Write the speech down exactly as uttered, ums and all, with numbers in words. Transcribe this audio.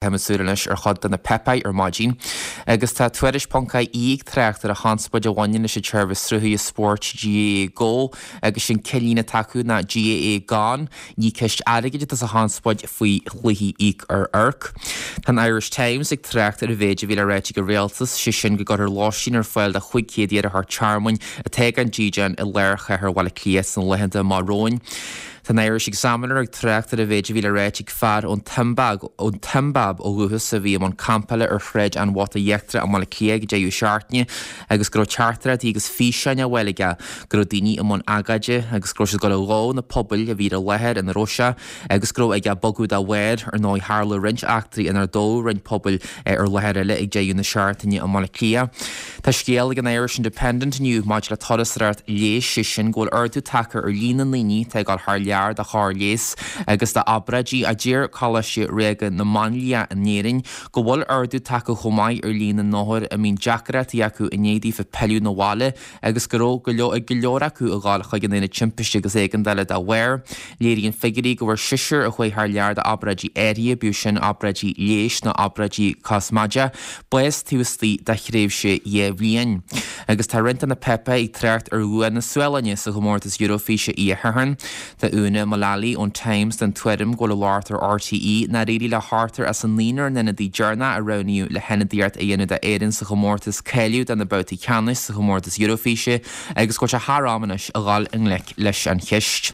Táim ag súil anois ar chuid de na páipéir ar maidin agus tá Tuairisc ponc ie ag trácht ar an chonspóid a bhaineann leis an tseirbhís sruthaithe spóirt GAA Go agus sin ceithre líne atá acu ná GAA Gone. Ní ceist airgid atá sa chonspóid faoi chluichí íoc ar amharc. Tá an Irish Times ag trácht ar an mhéid a bhí le ráit ag an rialtas, sé sin go gcuirfear lóistín ar fáil do chúig chéad iarrthóir tearmainn atá gan dídean i lár chathair Bhaile Átha Cliath sna laethanta amach romhainn. Tá an Irish Examiner ag trácht ar an mhéid a bhí le ráit ag fear ón tSiombáib ó dhúchas a bhí i mbun campála ar Shráid an Bhota Íochtarach i mBaile Átha Cliath ag deireadh seachtaine agus go raibh teachtaireachtaí agus físeáin á bhfáil aige go raibh daoine i mbun agóide agus go raibh siad ag dul a dhó na pubaill a bhí ar an láthair ina raibh sé agus go raibh aige bogadh dá bharr. Ar ndóigh tharla roinnt eachtraí inar dódh roinnt pubaill ar láthair eile ag deireadh na seachtaine i mBaile Átha Cliath. Tá scéal ag an Irish Independent inniu maidir le turasóireacht leighis, sé sin go bhfuil ardú tagtha ar líon na ndaoine atá ag dul thar lear do chóir leighis agus d'obráidí a deir Coláiste Ríoga na Máinlia in Éirinn go bhfuil ardú tagtha chomh maith ar líon na n-othar a mbíonn deacrachtaí acu i ndiaidh daofa pilleadh 'na bhaile agus go raibh go leor ag go leor acu a ghabháil chuig an aonad timpiste agus éigeandála dá bharr. Léiríonn figiúirí go bhfuair seisear a chuaigh thar lear d'obráidí áirithe, bíodh sin obráidí leighis nó obráidí cosmaideacha, bás taobh istigh de thréimhse dhá bhliain. Agus tá roinnt de na páipéir ag trácht ar bhua na Sualainne sa chomórtas Eurofíse oíche Shathairn. Tá Úna Mullally ón Times den tuairim go bhfuil an locht ar RTÉ nár éirigh le hochtar as an naonúr n-ionadaí deireanach a roghnaíodh le hionadaíocht a dhéanamh d'Éirinn sa chomórtas cáiliú do na babhtaí ceannais sa chomórtas Eurofíse agus go bhfuil sé thar am anois a dhul i ngleic leis an cheist.